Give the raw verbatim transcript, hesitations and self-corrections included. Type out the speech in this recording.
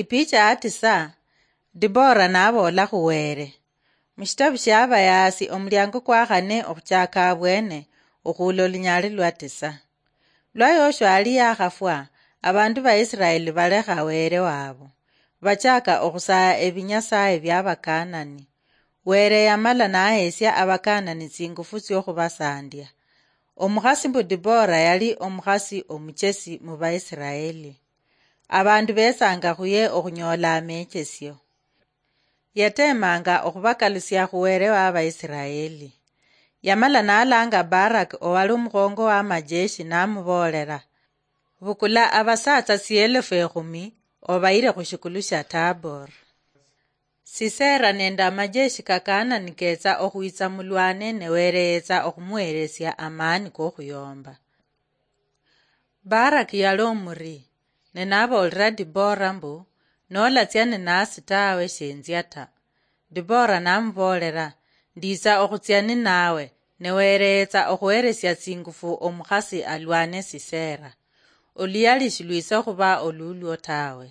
Ipicha ya tisa, Dibora naboola khu Wele. Mushitabu shia Abayaasi, omuliango kwa khane okhuchaka abwene, okhuula olunyali lwa tisa. Lwa Yoshua ali yakhafwa, abandu ba Isiraeli balekha Wele wabo, bachaka okhusaya ebinyasaye bia Bakanani. Wele yamala nahesia Abakanani tsingufu tsiokhubasandya. Omukhasi mbu Dibora yali omukhasi omuchesi mu Baisiraeli. Abandu betsanga khuye okhunyola amechesio. Yatemanga okhubakalusia khu Wele wa Baisiraeli. Yamala nalanga Baraki owali omukhongo wa majeshi namuboolera, "Bukula abasatsa tsielefu ekhumi obayire khu shikulu shia Tabor. Sisera nende amajeshi ka Kanani ketsa okhwitsa mulwane ne Wele yetsa okhumuhelesia amani kokhuyomba." Baraki yali omuri, ne naboolera Dibora mbu, "Nolatsia ninasi tawe, shinzia ta." Dibora namuboolera, "Nditsa okhutsia ninawe, ne Wele yetsa okhuheresia tsingufu omukhasi alwane Sisera. Oluyali shilwitsa okhuba olulwo tawe."